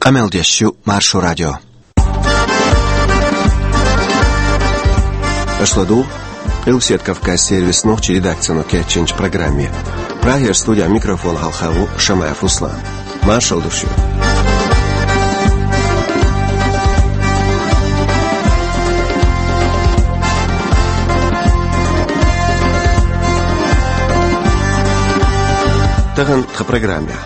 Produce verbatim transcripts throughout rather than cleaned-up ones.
Къамел деш ю Маршо радио. Аша ладугӀу Къилбаседа Кавказан сервисан нохчийн редакцино кечйинчу программе. Прагера студехь микрофон хьалха ву Шамаев Руслан. Маршалла ду шуьга. Тахана тхан программехь.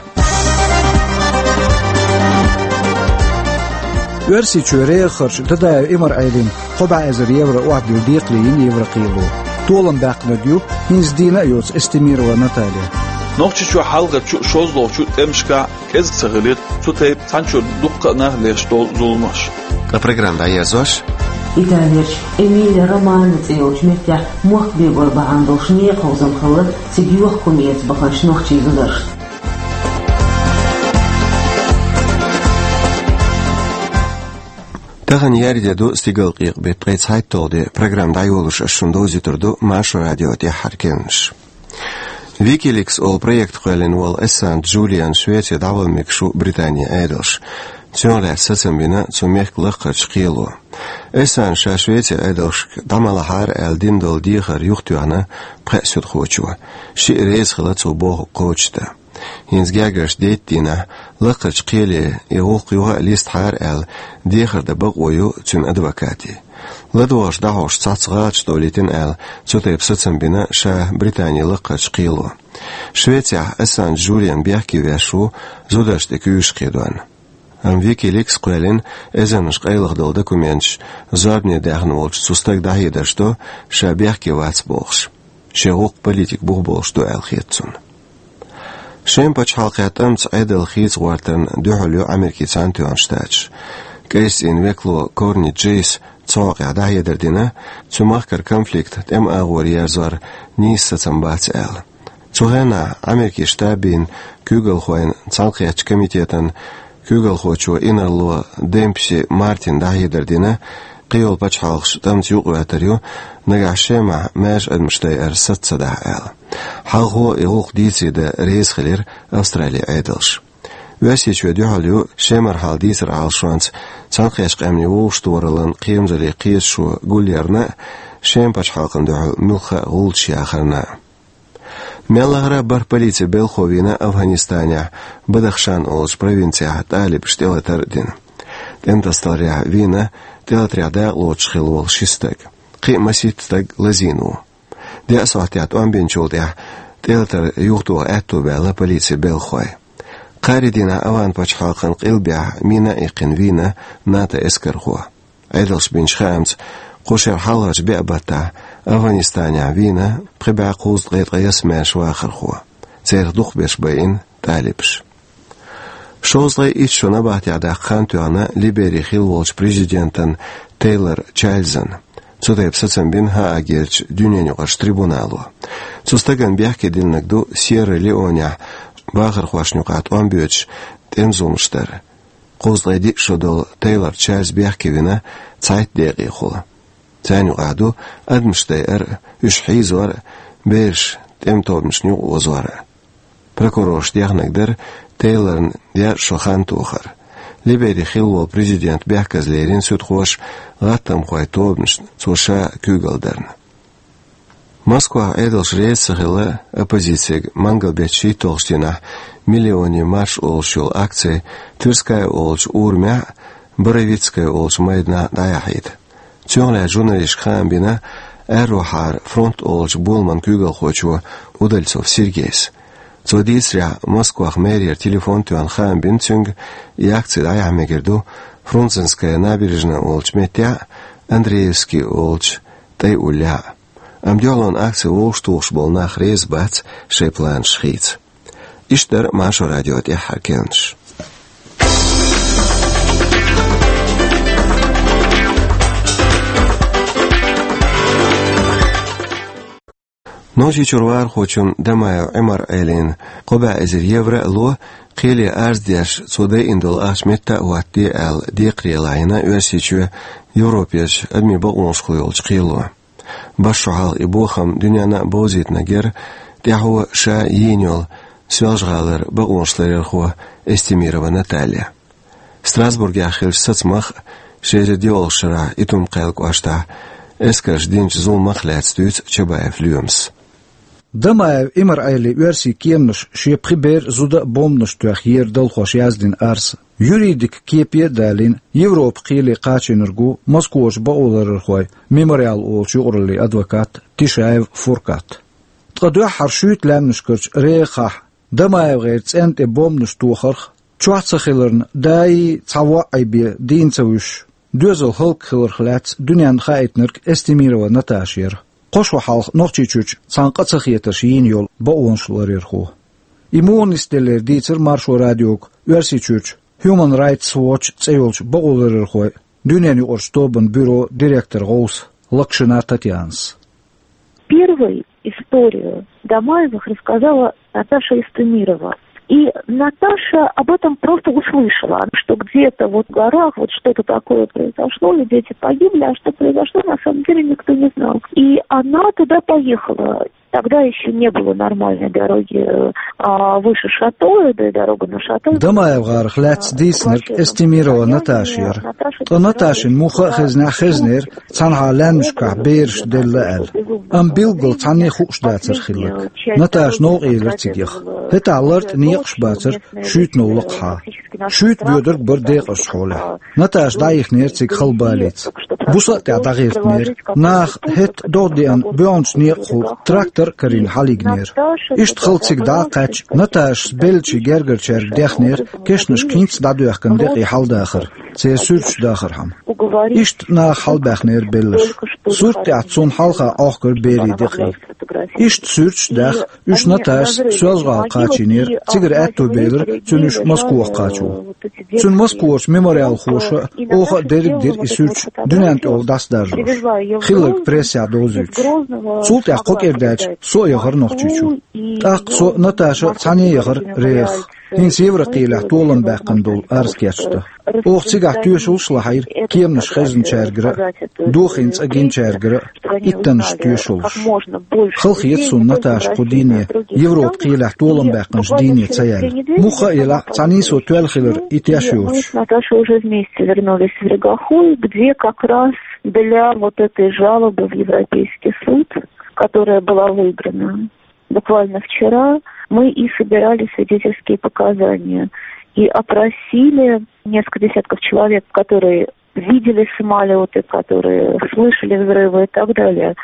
Оьрсийчоь рехарчу Дадаев Ӏимар-Ӏелина кхо бӀе эзар евро охьадилла декхаре йина Еврокхело. Толам баьккхинарг ю хӀинца дийна а йоцу Эстемирова Наталья. Нохчийчохь хьалхарчу, шолгӀачу тӀемашкахь кӀезиг ца хилира цу тайпа цхьанчуьра дуккха а нах леш долу зуламаш. Ткъа программа дӀаерзош. Италерчу Эмилия Романья цӀе йолчу меттехь мохк бегор бахьана долуш некъаховзам хилла цига йохка хӀума эца баханчу нохчийн зударшна. Тахана ярде ду стигалкъекъа беттан ткъе цхьайтталгӀа де. Программа дӀайолош ас шуна довзуьйтур ду Маршо радион тӀаьххьара керланаш. Wikileaks олу проект кхоьллина волу Ассанж Джулиан Швеце дӀавала мегаш ву Британин Ӏедалша. Цунах лаьцна сацам бина цу мехкан лакхарчу кхело. Ассанжа ша Швецин Ӏедалшка дӀа ма лахьара аьлла дина долу дехар юхатоьхна пхеа суьдхочо. Шиъ реза хилла цо бохург кхочушдан. ХӀинца гергарчу дейтта дийнахь лакхарчу кхеле и гӀуллакх юха а листхьара аьлла, дехар дан бакъо ю цуьнан адвокатийн. ЛадогӀарш дӀахьош цхьацца гӀалаташ довлийтина аьлла, цу тайпа сацам бина ша Британин лакхарчу кхело. Швецехь Ассанж Джулиан бехке веш ву зударшна тӀе куьйгаш кхийдорна. Амма Wikileaks кхоьллина эзарнаш къайлаха долу документаш зорбане даьхна волчу цу стага дӀахьедарш до, ша бехке вац бохуш. Шен гӀуллакх политик бух болуш ду аьлла хета цунна. Шеман пачхьалкхехь тӀамца Ӏедал хийца гӀортарна дуьхьал ю Америкин Цхьаьнатоьхна Штаташ. КӀайсцӀийнан векало Корни Джейс цу хьокъехь дӀахьедар дина, цу махкара конфликт тӀеман агӀор ерзор нийса сацам бац аьлла. Цу хенахь Америкин Штабийн куьйгалхойн цхьаьнакхеттачу комитетан куьйгалхочо инарло Демпси Мартина дӀахьедар дина, кхийолу пачхьалкхаш тӀамца юкъаоьттур ю, нагахь Шемахь маьрша адамаш дайар саца ца дахь аьлла. Хьалхо и гӀуллакх дийцаре дан реза хилира Австралин Ӏедалш. Оьрсийчоь дуьхьал ю Шемара хьал дийцаран Ӏалашонца Цхьаьнакхеттачу Къаьмнийн вовшахтохараллин кхерамзаллин кхеташо гулъярна а, Шеман пачхьалкхана дуьхьал муьлхха а гӀуллакхаш яхарна а. Мел лахара а бархӀ полицин белхахо вийна Афганистанехь Бадахшан олучу провинцехь талибашна тӀелатар а дина. ТӀемтасадаларехь вийна тӀелатарехь дакъалоцуш хилла волу ши стаг. Кхин а масийтта стаг лазийна ву. Деа сохьтехь тӀом бинчул тӀаьхьа тӀелатар юхатоха аьтто баьлла полицин белхахойн. Кхаарин дийнахь Афган пачхьалкхан къилбехь мина а иккхина вийна НАТО эскархо. Ӏедалша бинчу хаамца, кху шеран хьалхарчу беа баттахь Афганистанехь вийна пхи бӀе кхузткъе ткъайесна маьрша вахархо. Церах дукхахберш байина талибаш. Шовзткъе итт шо набахтехь даккха хан тоьхна Либерин хилла волчу президентан Тейлор Чарльзан. Цу тайпа сацам бина Гаагерчу дуьненаюкъарчу трибунало. Цу стагана бехке диллинарг ду Сьерра-Леонехь вахархошна юкъахь тӀом боьдуш тӀеман зуламаш дар. Кхузткъе диъ шо долу Тейлор Чарльз бехке вина цхьайтта декъехула. Царна юкъахь ду адамаш дайар а, уьш хьийзор а, бераш тӀеман тобанашна юкъа озор а. Прокурорша дехнарг дара Тейлорна яра шо хан тохар. Либерин хилла волу президент бехказа лерина суьдхоша гӀаттамхойн тобанашна цо ша куьйгалла дарна. Москвахь Ӏедалша реза ца хилла оппозицега мангал беттан шийтталгӀачу дийнахь «Миллионный марш» олуш йолу акци Тверская олучу урамехь а, Боровицкая олучу майданахь а дӀаяхьийта. Цунах лаьцна журналисташка хаам бина Аьрру-Хьара фронт олучу боламан куьйгалхочо Удальцов Сергейс. Цо дийцарехь, Москвахь мэрера телефон тоьхна хаам бина цуьнга, и акци дӀаяхьа мегар ду Фрунзенская набережная олучу меттехь а, Андреевский олучу тӀай уллехь а. Амма дуьхьалонан акци вовшахтухуш болу нах реза бац шайн планаш хийца. Иштта дара Маршо радион тӀаьххьара керланаш. Нохчийчуьра вахархочунна Дамаев Ӏимар-Ӏелина кхо бӀе эзар евро а ло, кхеле арз деш, цо дайина долу ахча метта а хӀоттаде аьлла, декхаре лайна Оьрсийчоь Европерчу адамийн бакъонаш йолчу кхело. БархӀ шо хьалха и бохам дуьненна а бовзийтинарг яра тӀаьхьо ша йийна йолу Соьлжа-ГӀалара бакъонаш ларъярхо Эстемирова Наталья. Страсбургехь хиллачу сацамах а, ши эзар диъалгӀачу шарахь Итум-Кхаьллан кӀоштахь эскарша динчу зуламах а лаьцна дуьйцу Чабаев Лоьмас. Дамаев Имар-Ӏелин оьрсийн кеманаш шен пхи бер а, зуда а бомбанаш тоьхна еран далхош яздина арз, юридикан кепе а далийна, Европан кхеле кхачийнарг ву Москварчу бакъоларъярхойн «Мемориал» олучу юкъараллин адвокат Тишаев Фуркат. Ткъа дуьххьара шуьйта лаьмнашкарчу рехахь ДамаевгӀеран цӀенна тӀе бомбанаш тохарх, чохь ца хиларна, даий цхьа воӀ бен дийна ца вуьсуш, доьзал хӀаллакьхиларх лаьцна дуьненна хаийтинарг Эстемирова Наташа яра. Кхо шо хьалха Нохчийчуьрчу цхьана къа ца хетарш йийна йолу бакъонаш ларъярхо. И муха нисделлера дийцира Маршо радиога Оьрсийчуьрчу Human Rights Watch цӀе йолчу бакъоларъярхойн дуьненаюкъарчу тобанан бюрон директоран гӀовса Локшина Татьянас. Первой историю Дамаевых рассказала Наташа Эстемирова. И Наташа об этом просто услышала, что где-то вот в горах вот что-то такое произошло, и дети погибли, а что произошло, на самом деле никто не знал. И она туда поехала. Тогда еще не было нормальной дороги, а, выше Шато, да и дорога на Шато. ДамаевгӀарах лаьцна дийцинарг Эстемирова Наташа яра. Ткъа Наташина муха а хезнехь, хезнера цхьанхьа лаьмнашкахь бераш делла аьлла. Амма билггал цхьанне а хууш дацара хилларг. Наташа новкъа елира цигех. ХӀетахь лартӀехь некъаш бацара шуьйтанал лакхахьа. Шуьйта боьдург бара декъазчу хьолехь. Наташа дӀаихнера цига хала балица. Буса а тӀехь дӀагӀиртинера. Наха хӀетахь догӀа деана боьӀначу некъахула трактор а карийна хьалаигнера. Иштта хала цига дӀа а кхаьчна, Наташас беллачийн гергарчаьрга дехнера кешнашка хӀинцца дӀадоьхкина декъий хьаладахар, церан суьрташ дахархьама. Иштта наха хьалабаьхнера белларш. Сурт тӀехь цунна хьалха Ӏохкура берийн декъий. Иштта суьрташ а даьхна, уьш Наташас Соьлжа-ГӀала кхачийнера, цигара аьтто белира цуьнан уьш Москвахь кхачо. Цуьнан москварчу мемориалхоша а, оха а дерриг а дира и суьрташ дуьненна тӀехула дӀасадаржош, хилларг прессехь довзуьйтуш. Цул тӀаьхьа кхо кӀира даьлча со а яхара Нохчийчу. ТӀаккха со, Наташа цхьаьна яхара рехах, хӀинца Еврокхелехь толам баьккхина долу арз кечдан. Оха цигахь тоьшаллаш а лахьийра кеманаш хезначаьргара а, дохийна цӀа гиначаьргара а иттаннаш тоьшаллаш. Халахета суна Наташа кху дийне, Европан кхелехь толам баьккхинчу дийне ца яьлла. Муха а елахь, цхьа нийсо тоьлла хилар и теш йоцуш. Наташа уже вместе вернулись в Регахой, где как раз для вот этой жалобы в Европейский суд, которая была выиграна. Буквально вчера мы и собирали свидетельские показания, и опросили несколько десятков человек, которые видели самолёты, которые слышали взрывы и так далее.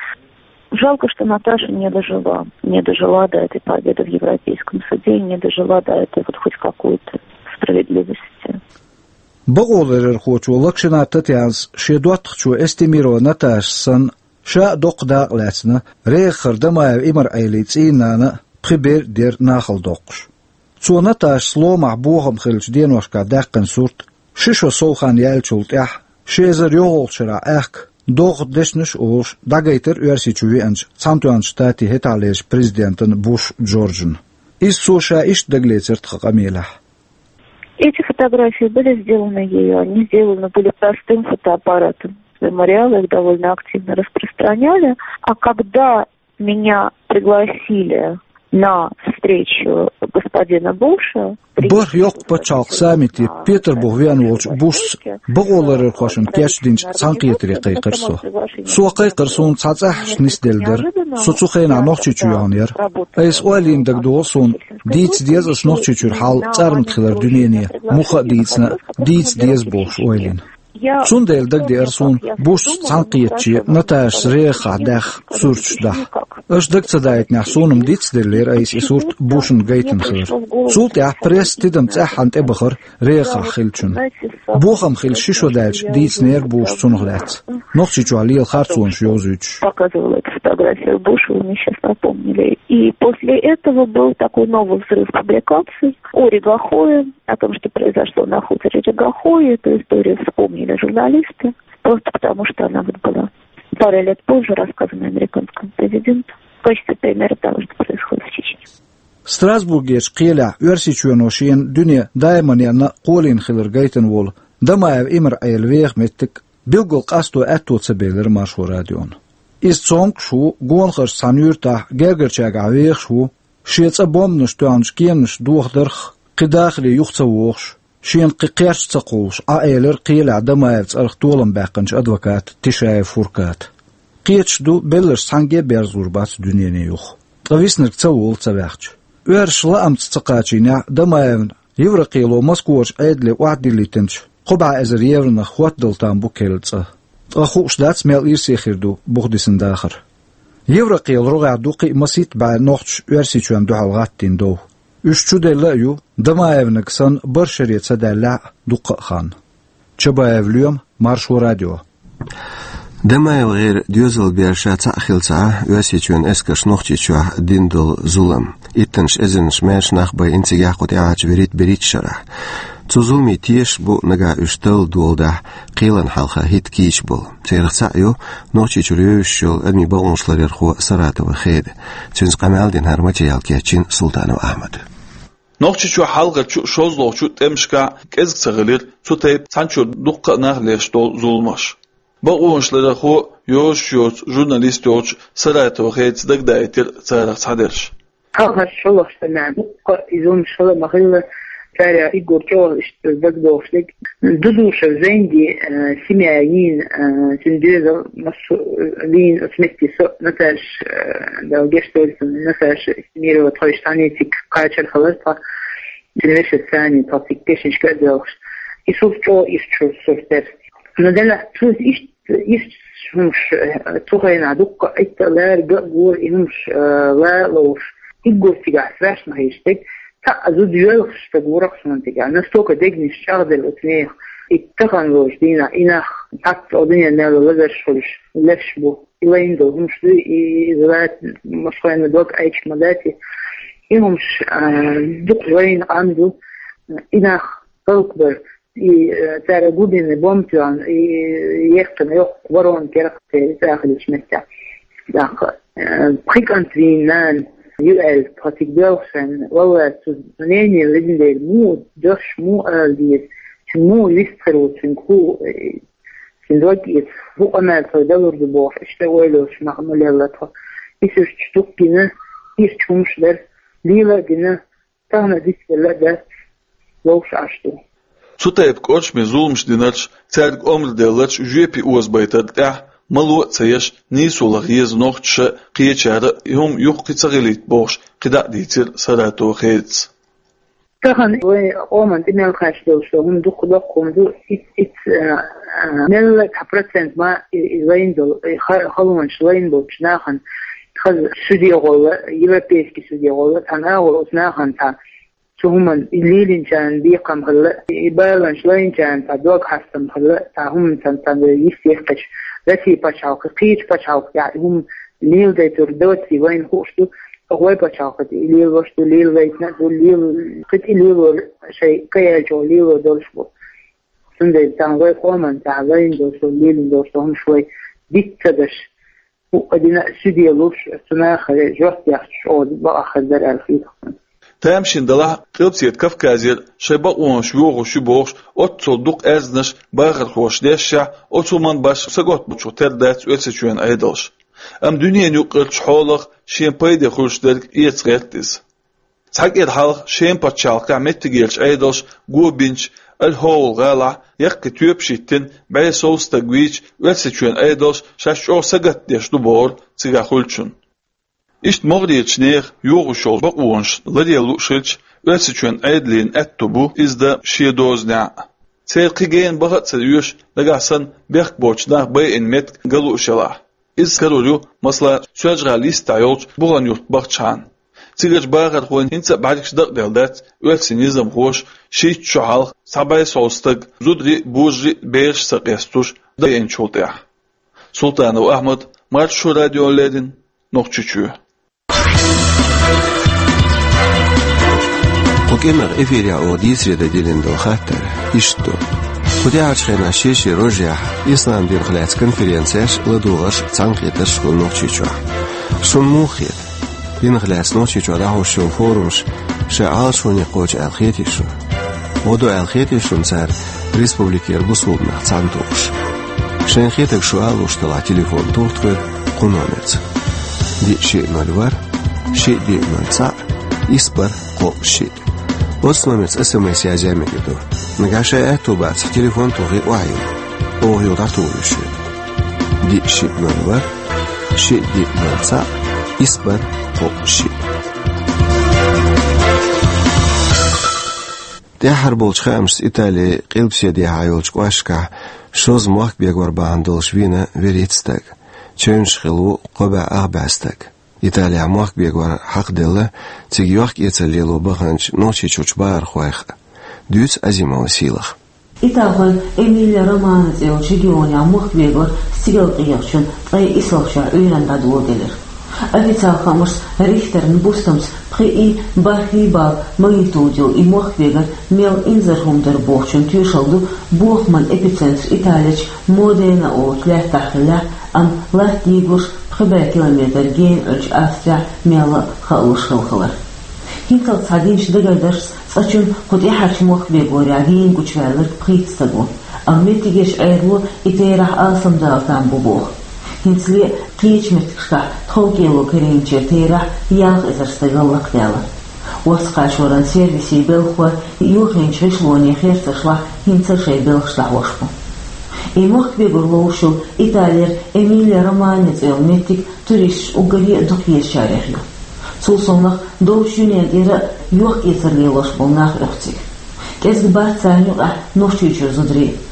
Жалко, что Наташа не дожила, не дожила до этой победы в Европейском суде, не дожила до этой вот хоть какой-то справедливости. Бакъоларъярхочо Локшина Татьянас шен доттагӀчо Эстемирова Наташас санна, ша а доккха дакъа лаьцна, рехахара Дамаев Имар-Ӏелин цӀийнан нана а, пхи бер а дера нахала доккхуш. Цо Наташас ломахь бохам хиллачу деношкахь даьккхина сурт, ши шо сов хан яьллачул тӀаьхьа, ши эзар йолхалгӀачу шарахь аьхка, догӀа дешнаш а олуш, дӀагайтира Оьрсийчу веанчу Цхьаьнатоьхначу Штатийн хӀетахьлерчу президентана Буш Джорджана. Иза цо ша иштта дагалецира тхан къамелехь. Эти фотографии были сделаны ею, они сделаны были простым фотоаппаратом. Мемориалы их довольно активно распространяли. А когда меня пригласили на встречу господина Буша, БархӀ йоккха пачхьалкхан саммите Петарбухе веана волчу Бушца бакъоларъярхошна кечдинчу цхьаьнакхетаре кхайкхира со. Со кхайкхира, суна цхьа цӀахь нисделла дара. Со цу хенахь Нохчийчу йогӀун яра. Айса ойла йина дагадогӀу суна, дийца деза аса Нохчийчуьра хьал цӀарна тӀе хилар дуьнене, муха а дийцина а, дийца деза бохуш ойла йина. Цундела дагадеара суна Бушца цхьаьнакхетаче Наташас рехахь даьхна сурташ даха. Аша дага ца даийтинехь, суна-м дицделлера айса и сурт Бушна гайтина хилар. Цул тӀаьхьа пресса тидам цӀеххьана тӀебахара рехахь хиллачунна. Бохам хилла ши шо даьлча дийцинера Буша цунах лаьцна, Нохчийчохь лела харцонаш йовзуьйтуш. Показывала эту фотографию Буша, вы мне сейчас напомнили. И после этого был такой новый взрыв публикаций о Регахое, о том, что произошло на хуторе Регахое. Эту историю вспомнили журналисты, просто потому что она вот была пару лет позже рассказана американскому президенту в качестве примера того, что происходит в Чечне. Страсбургерчу кхелехь Оьрсийчоьно шена дуьне даиманна кхоллийна хилар гайтина волу Дамаев Имар-Ӏелин веха меттиг билггал къасто аьтто ца белира Маршо радиона. Иза цомгуш ву, гонахарчу цхьана юьртахь гергарчаьргахь вехаш ву, шен цӀа бомбанаш тоьхначу кеманаш дохадарх кхин дахаре юха ца вогӀуш, Шена кхин кхерч ца кхуллуш, Ӏа элира кхелехь Дамаевн цӀарах толам баьккхинчу адвоката Тишаев Фурката. Кхеташ ду, белларш цхьаьнгге а берзалур бац дуьнене юха. Ткъа виснарг ца волу ца ваьхча. Оьрсаша лаамца ца кхачийнехь, Дамаевна Еврокхело Москварчу Ӏедале охьадиллийтинчу кхо бӀе эзар евронах хӀоттадала там бу керла цӀа. Ткъа хууш дац, мел ирсе хир ду буха дисина дахар. Еврокхелан рогӀехь ду кхин а масийтта бӀе нохчаша Оьрсийчоьнна дуьхьал гӀаттийна дов. Уьш чуделла а ю, Дамаевнаг санна, барх шаре ца даьллехь а дуккха а хан. Чабаев Лоьма, Маршо радио. Дамаевгара доьзалан бер ша цхьаъ хилла ца Ӏа, Оьрсийчоьнан эскарша Нохчийчохь дина долу зулам. Иттаннаш эзарнаш маьрша нах байина цигахь кху тӀаьхьарчу вуьрхӀитта-берхӀиттачу шарахь. Цу зуламийн тешаш бу нагахь уьш талла доладахь, кхелана хьалха хӀитта кийча болу. Церах цхьаъ ю Нохчийчуьра евзаш йолу адамийн бакъонаш ларъярхо Саратова Хеда. Цуьнца къамел дина хӀара материал кечйина Султанов Ахьмада. Нохчийчохь хьалхарчу, шолгӀачу тӀемашкахь кӀезиг ца хилира цу тайпа цхьанчуьра дуккха а нах леш долу зуламаш. Бакъонаш ларъярхо, йозуш йоцу журналист йолчу Саратова Хедас дагадаийтира царах цхьадерш. Хьалхарчу шолгӀачу тӀемехь дуккха а и зуламаш хилла ма-хиллара, царах уггар чӀогӀа иштта дагадогӀуш дерг Дудушев Зайнди, э, семья йийна, э, цуьнан доьзал массо а, э, вийна оцу метте со а, Наташа, э, Дала гечдойла цунна, Наташа Эстемирова, тхойша цхьаьна цига кхачар хилар тхо. Цуьнан вешица цхьаьна тхо цига кешнашка а доьлхуш. И сурт чӀогӀа ирча сурт дара. Но делахь цуьнца иштта, иштта хӀумаш, э, цу хенахь дуккха а Ӏитта а лаьрга а гора и хӀумаш, э, ла а лоруш. Уггар цигахь страшно хеташ дерг, цхьа а зуда йоьлхуш стаг вура-кх суна цигахь. Настолько дегнаш чӀагӀделла оцу нехан. И тахана лоруш дийнахь, и нах цхьацца оцу дуьненан мел лазарш хуьлуш леш бу. И лайна долу хӀумаш дуй, и, и иза лаьцна, массо а хенахь дог Ӏайча ма дац и. И хӀумаш, а, дукха лайна къам ду, и нах халкъ бар, и, э, цара глубинный бомба тоьхна, и, э, яьккхина йоккха ворона керахь церан цӀа хилча меттехь. ТӀаккха, э, пхи кӀант вийна нана ю аьлла, тхо цига доьлхуш санна, валлахӀи, цу, цу нене ледина дела, муха дош, муха ала деза, цуьнан муха вист хир ву, цуьнга хӀу, э, Цуьнан дог эца, хӀун къамел тхоьга далур ду бохуш, иштта ойланаш мах ма лелла тхо. И суьрташ дукха гина, ирча хӀумаш дара, лела а дина, тахана а дицделла а дац, вовшах Ӏаш ду. Цу тайпа кӀоршаме зуламаш динарш, цаьрга омра делларш жоьпе озабайтарна тӀехь, мало а ца еш, нийсо лаха еза нохчаша а, кхечара а, и хӀума юххе ца хилийта бохуш, кхидӀа а дийцира Саратова Хедас. Тахана вайн къоман тӀе мел кхаьчна долуш долу хӀума дукха доккха хӀума ду, ит-, ит-, а, а, мелла цхьа процент ма и, и лайна долу, и ха-, халонаш лайна болчу нахана, хаза суьде гӀолла, европейский суьде гӀолла, цхьана агӀор оцу нахана цхьа, цу хӀуманна и лелинчарна бекхам хилла, и баланаш лайначарна цхьа дог хьастам хилла, цхьа хӀуманна цхьа, цхьа йист яьккхича, Россия пачхьалкх, кхечу пачхьалкхехь и хӀума леладайтур доций вайна хууш ду, оха вай пачхьалкхе тӀе и лелош ду, лелавайтина а ду, лел-, кхин тӀе лелор шайн кхин яьллачух лело долуш бу. Цундела цхьана вай къоман тӀехь лайна долуш ду, лелина долуш ду хӀумаш вай диц ца деш, хӀуъа дина а суьде луш, цу нахе жоп яхча, оха бакъахь хир дара аьлла хетахь. Тамашийна далахь, Къилбаседа Кавказера шайн бакъонаш йохуш ю бохуш, оццул дукха аьрзнаш бахархоша дешшехь, оцу хӀуманна башха сагатбучух тера дац Оьрсийчоьнан Ӏедалш. Амма дуьненан юккъерчу хьолах шен пайде хуьлуш дерг эца гӀерта иза. Цхьа кӀира хьалха Шеман пачхьалкхехь меттигерчу Ӏедалша го бинчу Аль-ХӀолл гӀалахь яккхий тоьпаш йиттина, бӀе сов стаг вийча, Оьрсийчоьнан Ӏедалш шаьш чӀогӀа сагатдеш ду бохура цигахь хуьлучунна. Иштта могӀарерчу нехан йохуш йолу бакъонаш ларъян лууш хилча, Оьрсийчоьнан Ӏедалийн аьтто бу иза дан шен дозанехь а. Церан кхин гена баха а ца оьшу, нагахь санна бехк боцчу наха байина меттиг ган лууш елахь. Иза карор ю, масала, Соьлжа-ГӀалин йистехь йолчу Бухан-Юрт бахчахьана. Цигарчу бахархойн хӀинца а бӀаьргаш дакъаделла дац оьрсийн низамхоша шийтта шо хьалха цхьа бӀе сов стаг, зударий а, божарий а, бераш а ца къестуш, дайинчул тӀаьхьа. Султанов Ахьмад, Маршо радиона леррина, Нохчийчоь. Кху кӀиранах эфирехь оха дийцаре дан диллина долу хаттар иштта ду. Кху тӀаьхьарчу хенахь шен-шен рожехь ислам динах лаьцна конференцеш, ладогӀарш, цхьаьнакхетарш хуьлу Нохчийчохь. Шуна муха хета? Динах лаьцна Нохчийчохь дӀахьош йолу форумаш шайн Ӏалашоне кхочу аьлла хетий шуна? ГӀо ду аьлла хетий шуна цара республикера бусулба нах цхьаьна тухуш? Шайна хетарг шу ала луш делахь, телефон туху тхоьга кху номерца: диъ шиъ ноль ворхӀ, шиъ диъ ноль цхьаъ, исс бархӀ кхоъ шиъ. Оцу номерца СМС язъян мегар ду. Нагахь шайн аьтто бацахь, телефон тухий охьайилла. Оха юха дӀатухур ю шуьга. Диъ шиъ ноль ворхӀ, шиъ диъ ноль цхьаъ, исс бархӀ кхоъ шиъ. ТӀаьххьара болчу хаамашца Италин къилбаседехьа йолчу кӀошташкахь шозза мохк бегор бахьана долуш вийна вуьрхӀитта стаг. Чевнаш хилла ву кхо бӀе ах бӀе стаг. Италехь мохк бегор хьакхаделла, цига йохк-эцар лело баханчу Нохчийчуьрчу бахархойх а. Дуьйцу Азимова Сийлаха. Италхойн Эмилия-Романья цӀе йолчу регионехь мохк бегор стигалкъегӀачун ткъе исалгӀачохь Ӏуьйранна дӀадоладелира. Официалан хаамашца, Рихтеран бустамца пхиъ и бархӀ и балл магнитуда йолу и мохк бегар мел инзара хӀума дара бохучун тоьшалла ду бохаман эпицентр Италерчу Модена олучу лаьттахь хиллехь, амма латта дийгорш пхи бӀе километр гена Ӏуьллучу Австрехь мелла а хаалуш хилла хилар. ХӀинццалц цхьа динчу дагардаршца, цкъачунна кху тӀаьххьарчу мохк бегорехь гена гучуваьлларг пхийтта стаг ву, амма меттигерчу Ӏедало и терахь алсамдала там бу боху. ХӀинцале а кхечу меттигашкахь тховкӀело карийначеран терахь ялх эзар стагал лакхадаьлла. Орца кхачоран сервисийн белхахой йохийначу гӀишлонийн херцаршлахь хӀинца а шайн белхаш дӀахьош бу. И мохк бегор ловзуш йолу Италера Эмилия-Романья цӀе йолу меттиг туристаш уггаре а дукхаезачарех ю. Цул совнаха долчу дуьнен тӀера а йохк-эцар лелош болу нах оьху цига. КӀезиг бац царна юкъахь Нохчийчуьра зударий а.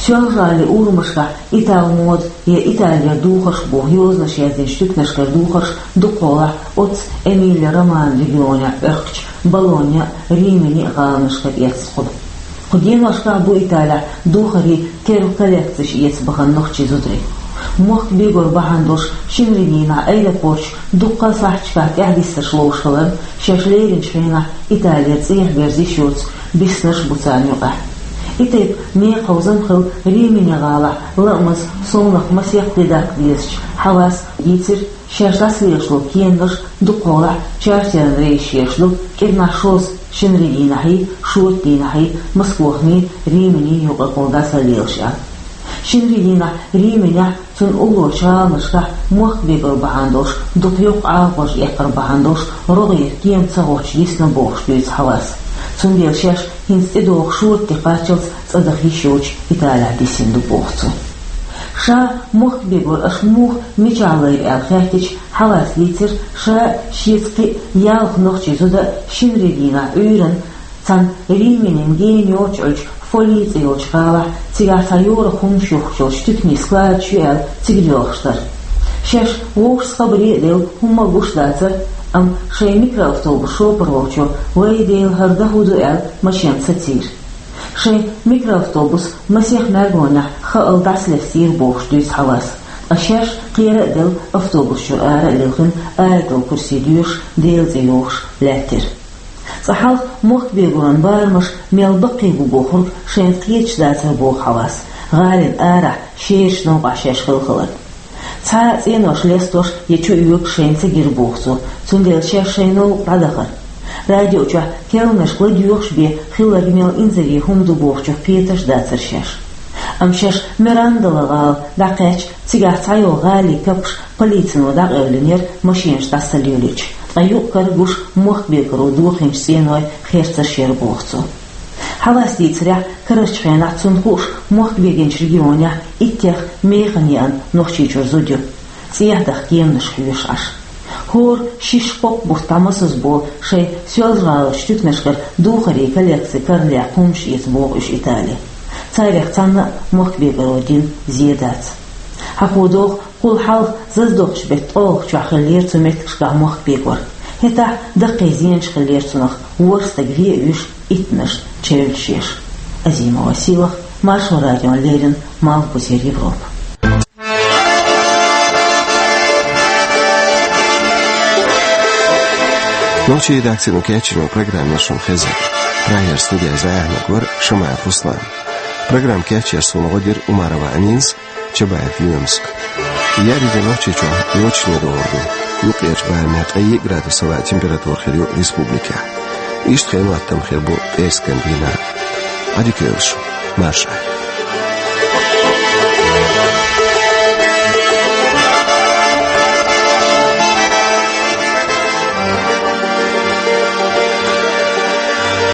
Соьлжа-ГӀалин урамашкахь «Итал мода» я «Италера духарш» боху йозанаш яздинчу туьканашкара духарш дукхахьолахь оццу Эмилия-Романья регионехь Ӏохкучу Болонья а, Римини а гӀаланашкара эцна хуьлу. Кху деношкахь бу Италехь духарийн терра коллекцеш эца бахана нохчийн зударий. Мохк бегор бахьана долуш шинарин дийнахь аэропорташ дуккха а сахьташкахь тӀаьхьадиссарш ловзуш хиларна, шаьш леринчу хенахь Италера цӀехьа берза йиш йоцу биснарш а бу царна юкъахь. И тайпа некъаховзам хилла Римини гӀалахь лаамаза, совнаха масех де даккха дезачу Хьавас дийцира, шаьш дӀасалелаш долу кенарш дукхахьолахь чартеран рейсаш еш ду, кӀирнахь шозза, шинарин дийнахьий, шоьтан дийнахьий, Москвахний, Риминий юкъаралла дӀасалелаш аьлла. Шинарин дийнахь Риминехь, цунна уллорчу гӀаланашкахь мохк бегор бахьана долуш, дукха йоккха Ӏалашонаш эккхар бахьана долуш, рогӀера кема ца гӀоттуш дисна бохуш дуьйцу Хьавас. Цундела шаьш хӀинца тӀедогӀу шоьтан де кхаччалц цӀа даха йиш йоцуш Италехь дисина ду боху цо. Ша мохк бегор аша муха, мичахь лайра аьлла хаьттича, Хьавас дийцира, ша а, шеца кхин а ялх нохчийн зуда а шинарин дийнахь Ӏуьйранна цхьана Риминина гена йоццуш Ӏуьллучу Фолий цӀе йолчу гӀалахь, цигахь цхьа йорах хӀуманаш юхкучу туьканийн складаш ю аьлла, цига доьлхуш дара. Шаьш вовшашца хабаре а делла, хӀумма а гуш дацара, амма шайн микроавтобус шопара волчо: «Вай Дела, хӀара дан хӀун ду?» — аьлла, машен сацийра. Шайн микроавтобус масех мергонехь хаалла дӀасалестийра бохуш дуьйцу Хьавас. Ткъа шаьш кхера а делла, автобус чуьра ара а лилхина, аятал курси доьшуш, Делан цӀе йохуш лаьттира. Цкъа хьалха мохк бегоран барамаш мел баккхий бу бохург шайна кхеташ дацара боху Хьавас, гӀалина арахь шерачу новкъахь шаьш хилла хиларна. Цхьа а цӀенош лестош я чу оьгуш шайна ца гира боху цо, цундела шаьш шайн новкъа дӀадахара. Радио чохь керланашка ладоьгӀуш бен хилларг мел инзаре хӀума ду бохучух кхеташ а дацара шаьш. Амма шаьш Мирандала гӀала дӀакхаьчча, цигахь цхьайолу гӀалин капаш полицино дӀакъевлинера машенаш дӀасалелийча, ткъа юкъ-кара гуш мохк бегоро дохийначу цӀенойн херцарш яра боху цо. Хьавас дийцарехь, карарчу хенахь цунна хууш мохк бегинчу регионехь иттех механа еана Нохчийчуьра зуда ю, цӀехьа даха кеманаш хьоьшуш Ӏаш. ХӀора шишша-кхокха бутт дӀамасазболу шайн Соьлжа-ГӀаларчу туьканашкара духарийн коллекци каралехь хӀуманаш эца боху уьш Итале. Царех цхьанна а мохк бегоро дина зен дац. Хьахо догӀу, кхул хьалха заздоккхучу беттан ткъолгӀачохь хиллера цу меттигашкахь мохк бегор. ХӀетахь даккхий зенаш хиллера цунах, ворхӀ стаг вен а вуьйш, иттанаш чевллаш еш. Азимова Сийлаха, Маршо радиона леррина, Малхбузера Европа. Нохчийн редакцино кечйина программа шуна хезира. Прагера студехь зӀе ахьаниг вара Шамаев Руслан. Программа кечъяр суна гӀо дира Умарова Аминас, Чабаев Юнуса. Еарин де Нохчийчохь йочане догӀур ду. Юккъерчу барамехь ткъе йиъ градус йолу температура хир ю республикехь. Иштта хенан хӀоттам хир бу пӀераскан дийнахь. Ӏадика йойла шу, марша Ӏойла.